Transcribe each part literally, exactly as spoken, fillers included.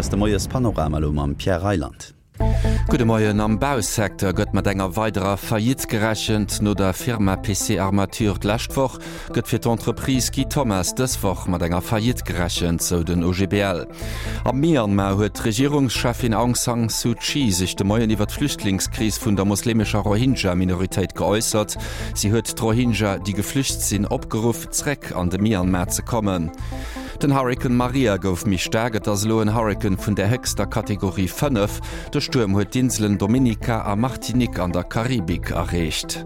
ass de Moiespanorama elo mam Pierre Reyland. Gudde Moien, Am Bausecteur gëtt mat enger weiderer Faillite gerechent. No der Firma P C Armature d'lescht Woch gëtt fir d'Entreprise Guy Thomas dës Woch mat enger Faillite gerechent, sou den O G B L. Am Myanmar huet d'Regierungscheffin Aung San Suu Kyi sech de Moien iwwer d'Flüchtlingskris vun der moslemescher Rohingya-Minoritéit geäussert. Si huet d'Rohingya, déi geflücht sinn, opgeruff, zréck an de Myanmar ze kommen. Den Hurrikan Maria gouf méi staark, et ass elo en Hurrikan vun der héchster Kategorie fënnef. De Stuerm huet d'Inselen Dominica a Martinique an der Karibik erreecht.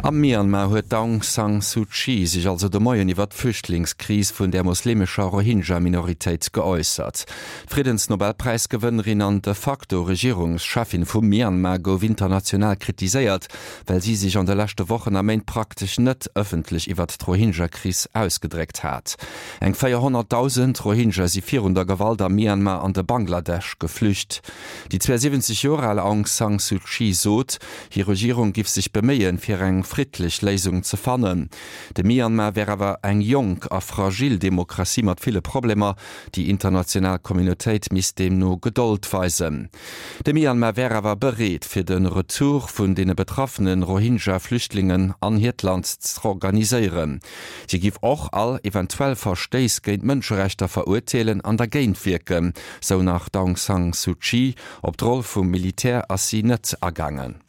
Am Myanmar huet d'Aung San Suu Kyi sech also de Moien iwwer d'Flüchtlingskris vun der moslemescher Rohingya-Minoritéit geäussert. D'Friddensnobelpräisgewënnerin an de facto Regierungscheffin vum Myanmar gouf international kritiséiert, well si sech an de leschte Wochen a Méint praktesch net ëffentlech iwwer d'Rohingya-Kris ausgedréckt hat. Eng véierhonnertdausend Rohingya si virun der Gewalt am Myanmar an de Bangladesch geflücht. Déi zwouesiwwenzeg Joer al Aung San Suu Kyi sot, hir Regierung géif sech beméien, fir eng friddlech Léisung ze fannen. De Myanmar wär awer eng jonk a fragil Demokratie mat ville Problemer, déi international Communautéit misst deemno Gedold weisen. De Myanmar wär awer bereet, fir de Retour vun deene betraffene Rohingya-Flüchtlingen an hiert Land z'organiséieren. Si géif och all eventuell Verstéiss géint Mënscherechter verurteelen an dergéint wierken, sou nach d'Aung San Suu Kyi. Op d'Roll vum Militär ass si net agaangen.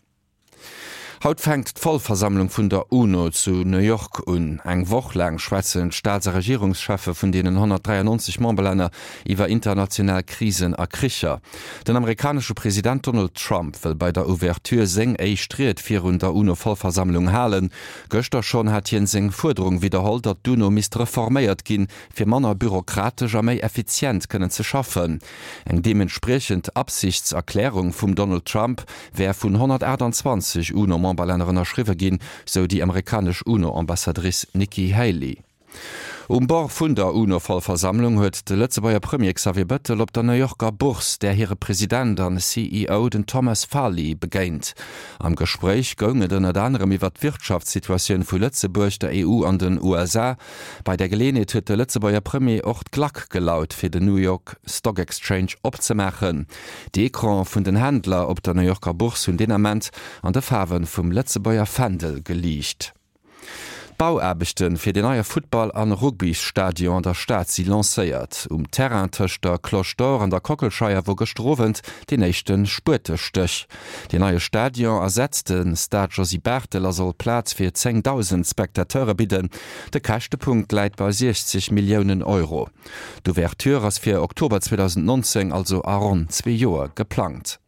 Haut fänkt d'Vollversammlung vun der UNO zu New York un. Eng Woch laang schwätzen d'Staats a Regierungscheffe vun deenen honnertdräiannonzeg Memberlänner iwwer international Krisen a Kricher. Den amerikanesche President Donald Trump wëll bei der Ouverture seng éischt Ried virun der UNO-Vollversammlung halen. Gëschter schonn hat hien seng Fuerderung widderholl, datt d'UNO misst reforméiert ginn, fir manner bürokratesch a méi effizient kënnen ze schaffen. Eng deementspriechend Absichtserklärung vum Donald Trump wär vun honnertaachtanzwanzeg UNO-Memberlänner ënnerschriwwe ginn, sou déi amerikanesch UNO-Ambassadrice Nikki Haley. Um Bord vun der UNO-Vollversammlung huet de Lëtzebuerger Premier Xavier Bettel op der New Yorker Bourse där hire President an C E O den Thomas Farley begéint. Am Gespréich goung et ënnert anerem iwwer d'Wirtschaftssituatioun vu Lëtzebuerg, der E U an den U S A. Bei der Geleeënheet huet de Lëtzebuerger Premier och d'Klack gelaut fir den New York Stock Exchange opzemaachen. D'Ecrane vun den Händler op der New Yorker Bourse hunn deen Ament an de Faarwe vum Lëtzebuerger Fändel geliicht. D'Bauaarbechte fir den neie Futtball- an Rugbystadion an der Stad si lancéiert. Um Terrain tëscht der Cloche d'Or an der Kockelscheier wor gëschter Owend deen éischte Spuetestéch. Den neie Stadion ersetzt de Stade Josy Barthel a soll Plaz fir zéngdausend Spectateure bidden. De Käschtepunkt läit bei siechzeg Milliounen Euro. D'Ouverture ass fir Oktober zweedausendnonzéng, also a ronn zwee Joer geplangt.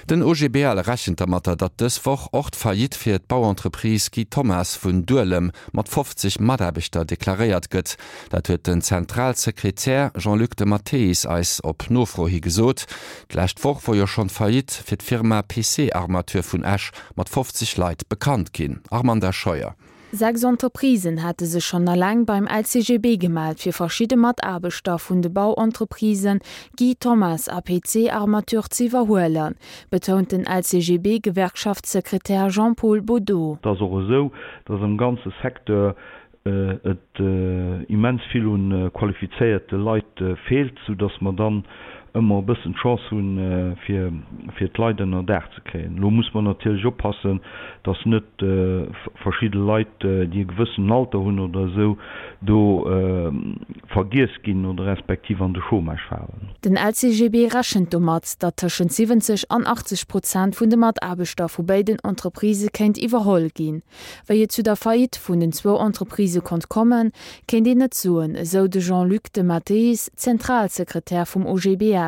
Den O G B L rechent dermatter, datt dës Woch och d'Faillite fir d'Bauentreprise Guy Thomas vun Duelem mat fofzeg Mataarbechter deklaréiert gëtt. Dat huet den Zentralsekretär Jean-Luc de Matteis eis op Nofro hi gesot. D'lescht Woch wor jo schonn d'Faillite fir d'Firma P C Armature vun Esch mat fofzeg Leit bekannt ginn. Armanda Scheuer. Sechs Entreprisen hate sech schonn eleng beim L C G B gemellt fir verschidde Mataarbechter vun de Bauentreprisen Guy Thomas a P C Armature ze iwwerhuelen, betount den L C G B-Gewerkschaftssekretär Jean-Paul Baudot. Et ass och esou, datt am ganze Secteur et immens vill un qualifizéierte Leit feelt, soudatt mer dann ëmmer e bëssen d'Chance hunn, fir fir d'Leit ënner Daach ze kréien. Elo muss mer natierlech oppassen, datt net verschidde Leit, déi e gewëssenen Alter hunn oder esou, do vergiess ginn oder respektiv an de Chômage falen. Den L C G B rechent domat, datt tëschent siwwenzeg an achtzeg Prozent vun de Mataarbechter vu béiden Entreprisë kéint iwwerholl ginn. Wéi et zu der Faillite vun den zwou Entreprisë konnt kommen, kéint een net soen, esou de Jean-Luc de Matteis, Zentralsekretär vum O G B L.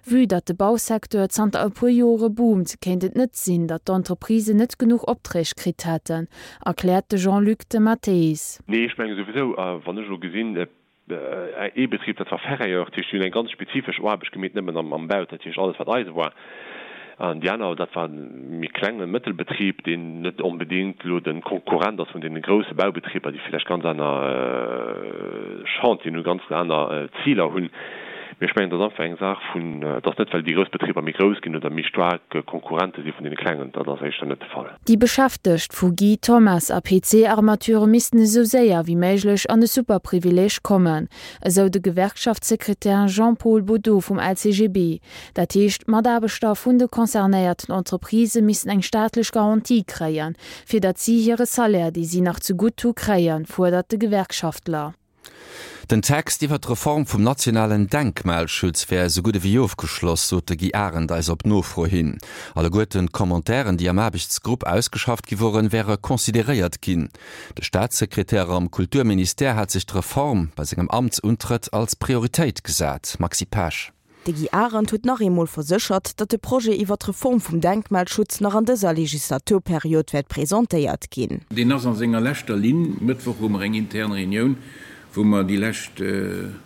Vue datt de Bausecteur zanter e puer Jore boomt, kéint et net sinn, datt d'Entreprisen net genuch Opträg kritt hätten, erkläert de Jean-Luc de Matteis. Nee, ech menge souwisou, wann ech elo gesinn, ee Betrib, dat war Ferrailleur, dat heescht, déi hunn eng ganz spezifesch Aarbecht gemeet, nëmmen am Bau, dat heescht alles wat Eise war. An déi aner, dat war e méi klenge Mëttelbetrib, deen net onbedéngt elo de Konkurrent ass vun deene grousse Baubetriber, déi villäicht ganz aner Chantieren hunn, ganz aner Ziler hunn. Mee ech mengen, dat ass einfach eng Saach vun, et ass net, well déi grouss Betriber méi grouss ginn oder méi staark Konkurrente si vun deene klengen. Dat ass éischter net de Fall. Déi Beschäftegt vu Guy Thommes a P C Armature missten esou séier wéi méiglech an de Superprivileeg kommen, esou de Gewerkschaftssekretär Jean-Paul Baudot vum L C G B. Dat heescht, d'Mataarbechter vun de concernéierten Entreprisë missten eng staatlech Garantie kréien, fir datt si hire Salaire, dee si nach zegutt hu, kréien, fuerdert de Gewerkschaftler. Den Text iwwer d'Reform vum nationalen Denkmalschutz wär esou gutt ewéi ofgeschloss, sot de Guy Arendt eis op Nofro hin. Alleguerten d'Commentairen, déi am Aarbechtsgrupp ausgeschafft gi woren, wäre consideréiert ginn. De Staatssekretär am Kulturministère hat sech d'Reform bei sengem Amtsuntrëtt als Prioritéit gesat. Maxi Pesch. De Guy Arendt huet nach eemol verséchert, datt de Projet iwwer d'Reform vum Denkmalschutz nach an dëser Legislaturperiod wäert presentéiert ginn. Deen ass a senger leschter Linn. Mëttwoch hu mer eng intern Reunioun, wou mer déi lescht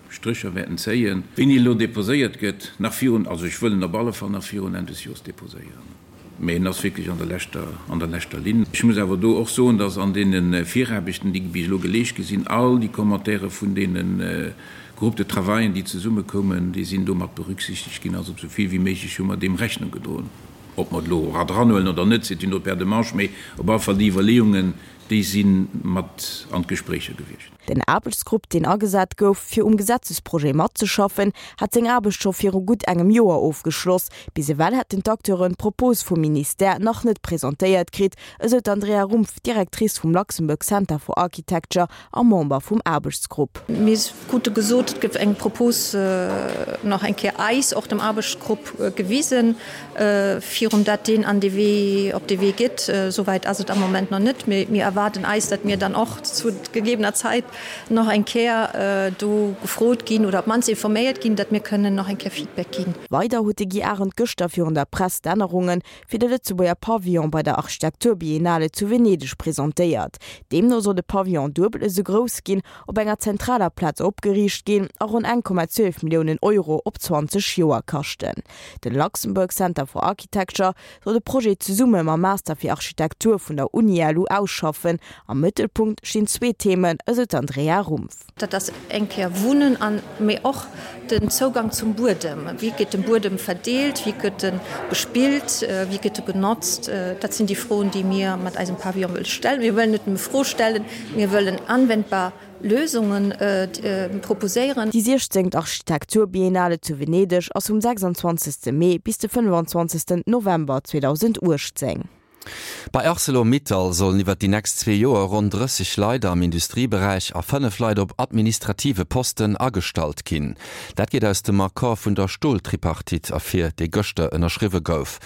Strécher wäerten zéien. Wéini elo deposéiert gëtt, nach virun, also ech wëll en op alle Fall nach virun Enn des Joers deposéieren. Mee en ass wierklech an der leschter, an der leschter Linn. Ech muss awer do och soen, datt an deene Viraarbechten, déi bis elo geleescht gi sinn, all déi Commentaire vun deene Groupes de travaillen, déi zesummekoumen, déi sinn do mat berücksichtegt ginn. Also esou vill wéi méiglech hu mer deem Rechnung gedroen. Ob mer et elo era dranhuelen oder net, c'est une autre paire de manches, mee op alle Fall déi Iwwerleeungen, déi si mat an d'Gespréicher gewiescht. Den Aarbechtsgrupp, deen agesat gouf, fir um Gesetzesprojet matzeschaffen, hat seng Aarbecht scho viru gutt engem Joer ofgeschloss. Bis ewell hätten d'Acteuren d'Propos vum Ministère nach net presentéiert kritt, esou d'Andrea Rumpf, Directrice vum Luxembourg Center for Architecture a Member vum Aarbechtsgrupp. Mir krute gesot, et gëtt eng Propos nach eng Kéier eis, och dem Aarbechtsgrupp, gewisen, virun dat deen an de Wee, op de Wee geet. Souwäit ass et am Moment nach net. Mir erwaarden eis, datt mir dann och zu gegebener Zäit nach eng Kéier do gefrot ginn oder op d'mannst informéiert ginn, datt mir kënnen nach eng Kéier Feedback ginn. Weider huet de Guy Arendt gëschter virun der Press d'Ännerunge fir de Lëtzebuerger Pavillon bei der Architekturbiennale zu Venedeg presentéiert. Deemno soll de Pavillon duebel esou grouss ginn, op enger zentraler Plaz opgeriicht ginn a ronn eng Komma zwielef Milliounen Euro op zwanzeg Joer kaschten. De Luxembourg Center for Architecture soll de Projet zesumme mam Master fir Architektur vun der Uni L U ausschaffen. Am Mëttelpunkt stinn zwee Themen, esou d'Andrea Rumpf. Dat ass eng Kéier Wunnen an mee och den Zougang zum Buedem. Wéi gëtt de Buedem verdeelt, wéi gëtt e bespillt, wéi gëtt e genotzt? Dat sinn déi Froen, déi mir mat eisem Pavillon wëlle stellen. Mir wëllen net nëmme Froe stellen, mir wëllen anwendbar Lösungen proposéieren. Déi siechzéngt Architekturbiennale zu Venedeg ass vum sechsundzwanzegste Mee bis de fënnefanzwanzegsten November zweedausendachtzéng. Bei Arcelor-Mittal sollen iwwer déi nächst zwee Joer ronn drësseg Leit am Industrieberäich a fënnef Leit op administrative Posten agestallt ginn. Dat geet aus dem Accord vun der Stoltripartite ervir, dee gëschter ënnerschriwwe gouf.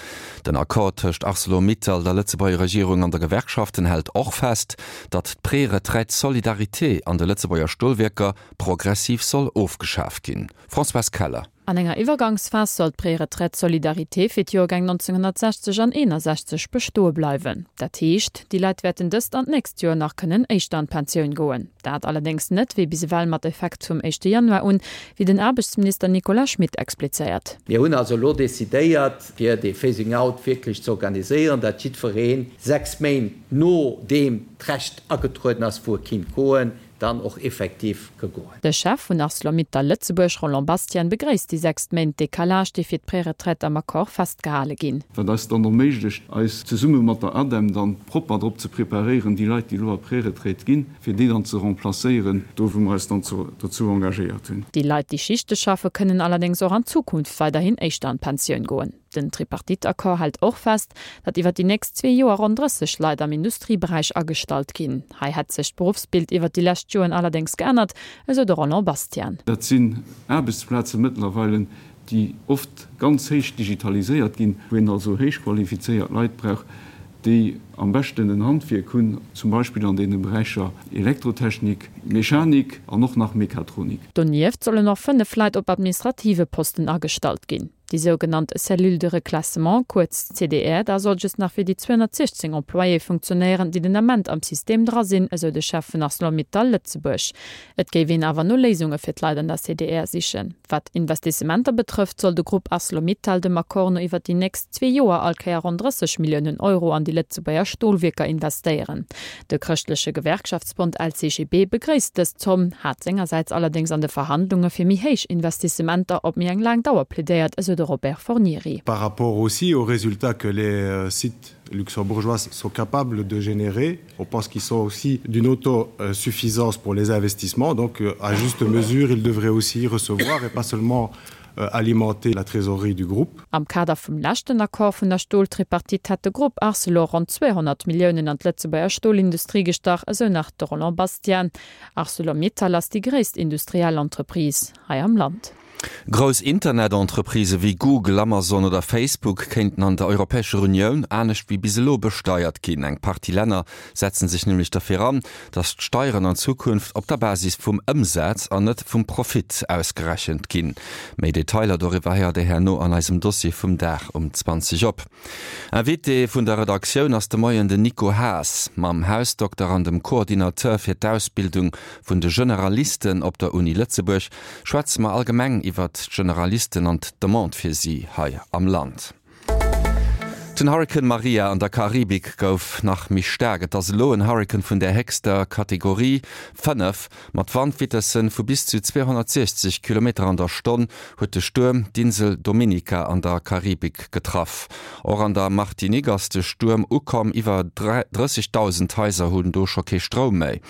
Den Accord tëscht Arcelor-Mittal, der Lëtzebuerger Regierung an der Gewerkschaften hält och fest, datt d'Préretraite solidarité an de Lëtzebuerger Stolwierker progressiv soll ofgeschaaft ginn. Françoise Keller. An enger Iwwergangsphas soll d'Préretraite solidarité fir d'Joergäng nonzénghonnertsechzeg an eenasechzeg bestoe bleiwen. Dat heescht, déi Leit wäerten dëst an d'nächst Joer nach kënnen éischter an d'Pensioun goen. Dat allerdéngs net wéi bis ewell mat Effekt vum éischte Januar un, wéi den Aarbechtsminister Nicolas Schmit explizéiert. Mir hunn also elo decidéiert, fir dee Phasing out wierklech ze organiséieren, datt jiddweree sechs Méint nodeem d'Recht agetrueden ass, wou e kinnt goen, dann och effektiv ka goen. De Chef vun Arcelor-Mittal Lëtzebuerg, Roland Bastian, begréisst déi sechs Méint Decalage, déi fir d'Preretraite am Accord festgehale ginn. Wat eis dann erméiglecht, eis zesumme mat der ADEM dann propper drop ze preparéieren, déi Leit, déi elo a Preretraite ginn, fir déi dann ze remplacéieren, do wou mer eis dann dozou engagéiert hunn. Déi Leit, déi Schichte schaffe, kënnen allerdéngs och an Zukunft weiderhin éischter an d'Pensioun goen. Den Tripartite-Accord hält och fest, datt iwwer déi nächst zwee Joer ronn drësseg Leit am Industrieberäich agestallt ginn. Hei hätt sech d'Beruffsbild iwwer déi lescht Joren allerdéngs geännert, esou de Roland Bastian. Dat sinn Aarbechtsplaze mëttlerweile, déi oft ganz héich digitaliséiert ginn, wou een also héich qualifizéiert Leit brauch, déi am beschten en Handwierk hunn, zum Beispill an deene Beräicher Elektrotechnik, Mechanik an och nach Mechatronik. Donieft sollen och fënnef Leit op administrative Posten agestallt ginn. Déi sougenannt Cellule de reclassement, kuerz CDR, da soll just nach fir déi zweehonnertsiechzéng Employéë funktionéieren, déi den Ament am System dra sinn, esou de Chef vun Arcelor-Mittal Lëtzebuerg. Et géif een awer no Léisunge fir d'Leit an der C D R sichen. Wat Investissementer betrëfft, soll de Grupp Arcelor-Mittal dem Accord no iwwer déi nächst zwee Joer all Kéier ronn drësseg Milliounen Euro an déi Lëtzebuerger Stolwierker investéieren. De chrëschtleche Gewerkschaftsbond L C G B begréisst dës Zomm, hat sengersäits allerdéngs an de Verhandlunge fir méi héich Investissementer op méi eng laang Dauer plädéiert, esou de Robert Fornieri. Par rapport aussi aux résultats que les sites luxembourgeois sont capables de générer, on pense qu'ils sont aussi d'une autosuffisance pour les investissements, donc à juste mesure, ils devraient aussi recevoir et pas seulement alimenter la trésorerie du groupe. Am Kader vum leschten Accord vun der Stoltripartite hat de Grupp Arcelor ronn zweehonnert Milliounen an d'Lëtzebuerger Stolindustrie gestach, esou nach de Roland Bastian. Arcelor-Mittal ass déi gréisst industriell Entreprise hei am Land. Grouss Internetentreprisë wéi Google, Amazon oder Facebook kéinten an der Europäescher Unioun anescht wéi bis elo besteiert ginn. Eng Partie Länner setzen sech nämlech derfir an, datt d'Steieren an Zukunft op der Basis vum Ëmsaz an net vum Profit ausgerechent ginn. Méi Detailer doriwwer héiert Dir herno an eisem Dossier vum Dag um zwanzeg op. Invité vun der Redaktioun ass de Moien den Nico Haas. Mam Hausdokter an dem Coordinateur fir d'Ausbildung vun de Generalisten op der Uni Lëtzebuerg schwätze mer allgemeng iwwert d'Generalisten an d'Demande fir si hei am Land. Den Hurrikan Maria an der Karibik gouf nach méi staark. Et ass elo en Hurrikan vun der héchster Kategorie fënnef. Mat Wandvitessen vu bis zu zweehonnertsiechzeg Kilometer an der Stonn huet de Stuerm d'Insel Dominica an der Karibik getraff. Och an der Martinique ass de Stuerm ukomm, iwwer drëssegdausend Haiser hunn do scho kee Stroum méi.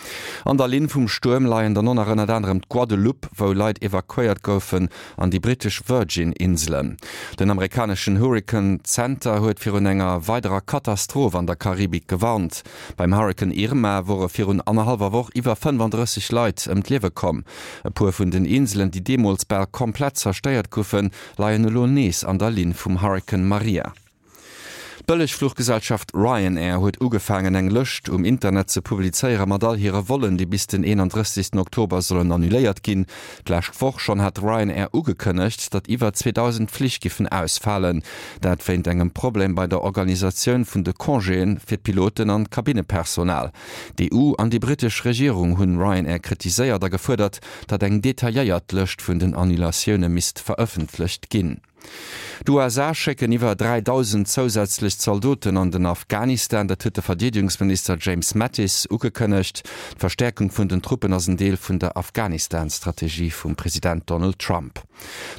An der Linn vum Stuerm leien dann och nach ënnert anerem d'Guadeloupe, wou Leit evakuéiert goufen, an déi brittesch Virgin Inselen. Den amerikaneschen Hurrikan Center huet virun enger weiderer Katastroph an der Karibik gewarnt. Beim Hurrikan Irma wore virun annerhallwer Woch iwwer fënnfandrësseg Leit ëm d'Liewe komm. E puer vun den Inselen, déi deemools bal komplett zerstéiert goufen, leien elo nees an der Linn vum Hurrikan Maria. D'Bëllegfluchgesellschaft Ryanair huet ugefaangen eng Lëscht um Internet ze publizéiere mat all hire Vollen, déi bis den eenandrëssegsten Oktober sollen annuléiert ginn. D'lescht Woch schonn hat Ryanair ugekënnegt, datt iwwer zweedausend Flich giffen ausfalen. Dat wéint engem Problem bei der Organisatioun vun de Congéen fir d'Piloten an d'Kabinnepersonal. D'E U an déi brittesch Regierung hunn Ryanair kritiséiert a gefuerdert, datt eng detailléiert Lëscht vun den Annulatioune misst verëffentlecht ginn. D'U S A schécken iwwer dräidausend zousätzlech Zaldoten an den Afghanistan, dat huet de Verdeedegungsminister James Mattis ugekënnegt. D'Verstäerkung vun den Truppen ass en Deel vun der Afghanistan-Strategie vum President Donald Trump.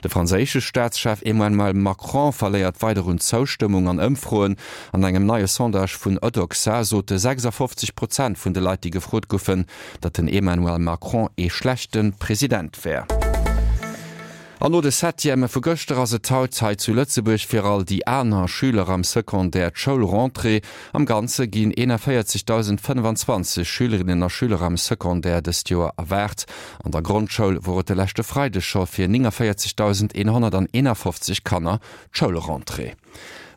De franséische Staatschef Emmanuel Macron verléiert weider un Zoustëmmung an Ëmfroen. An engem neie Sondage vun Odoxa sote sechsafofzeg Prozent vun de Leit, déi gefrot goufen, datt den Emmanuel Macron ee schlechte President wär. An no de Septièmë vu gëschter ass et haut hei zu Lëtzebuerg fir all déi aner Schüler am Secondaire d'Schoulrentrée. Am Ganze ginn eenanvéierzegdausendfënnfanzwanzeg Schülerinnen a Schüler am Secondaire dëst Joer erwaart. An der Grondschoul wor et de leschte Freideg scho fir nénganvéierzegdausendeenhonnerteenafofzeg Kanner d'Schoulrentrée.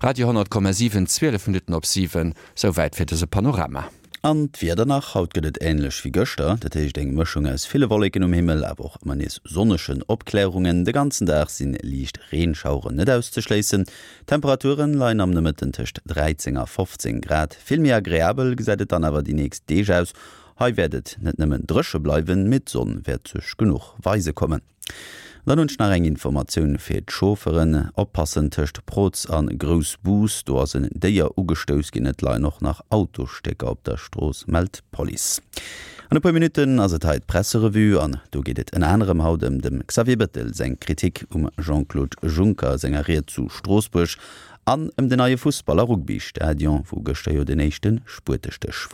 Radio honnert Komma siwen, zwielef Minutten op siwen, souwäit fir dëse Panorama. An d'Wieder nach, Haut gëtt et änlech wéi gëschter, dat heescht eng Mëschung aus ville Wolleken um Himmel, awer och ëmmer nees sonnegen Opklärungen. De ganzen Dag si liicht Reenschaueren net auszeschléissen. D'Temperaturen leien am Nomëtten tëscht dräizéng a fofzéng Grad. Vill méi agreabel gesäit et dann awer déi nächst Deeg aus. Hei wäert et net nëmmen dréche bleiwen, mee d'Sonn wäert sech genuch weise kommen. Dann hunn ech nach eng Informatioun fir d'Chaufferen, Oppassen tëscht Proz an Groussbus, do ass en Déier ugestouss ginn, et leien och nach Autosstécker op der Strooss, mellt d'Police. An e puer Minutten ass et hei d'Presserevue an do geet et ënner anerem haut ëm dem Xavier Bettel seng Kritik um Jean-Claude Juncker senger Ried zu Stroossbuerg an ëm den neie Fussball a Rugby-Stadion, wou gëschter jo den éischte Spuetestéch wor.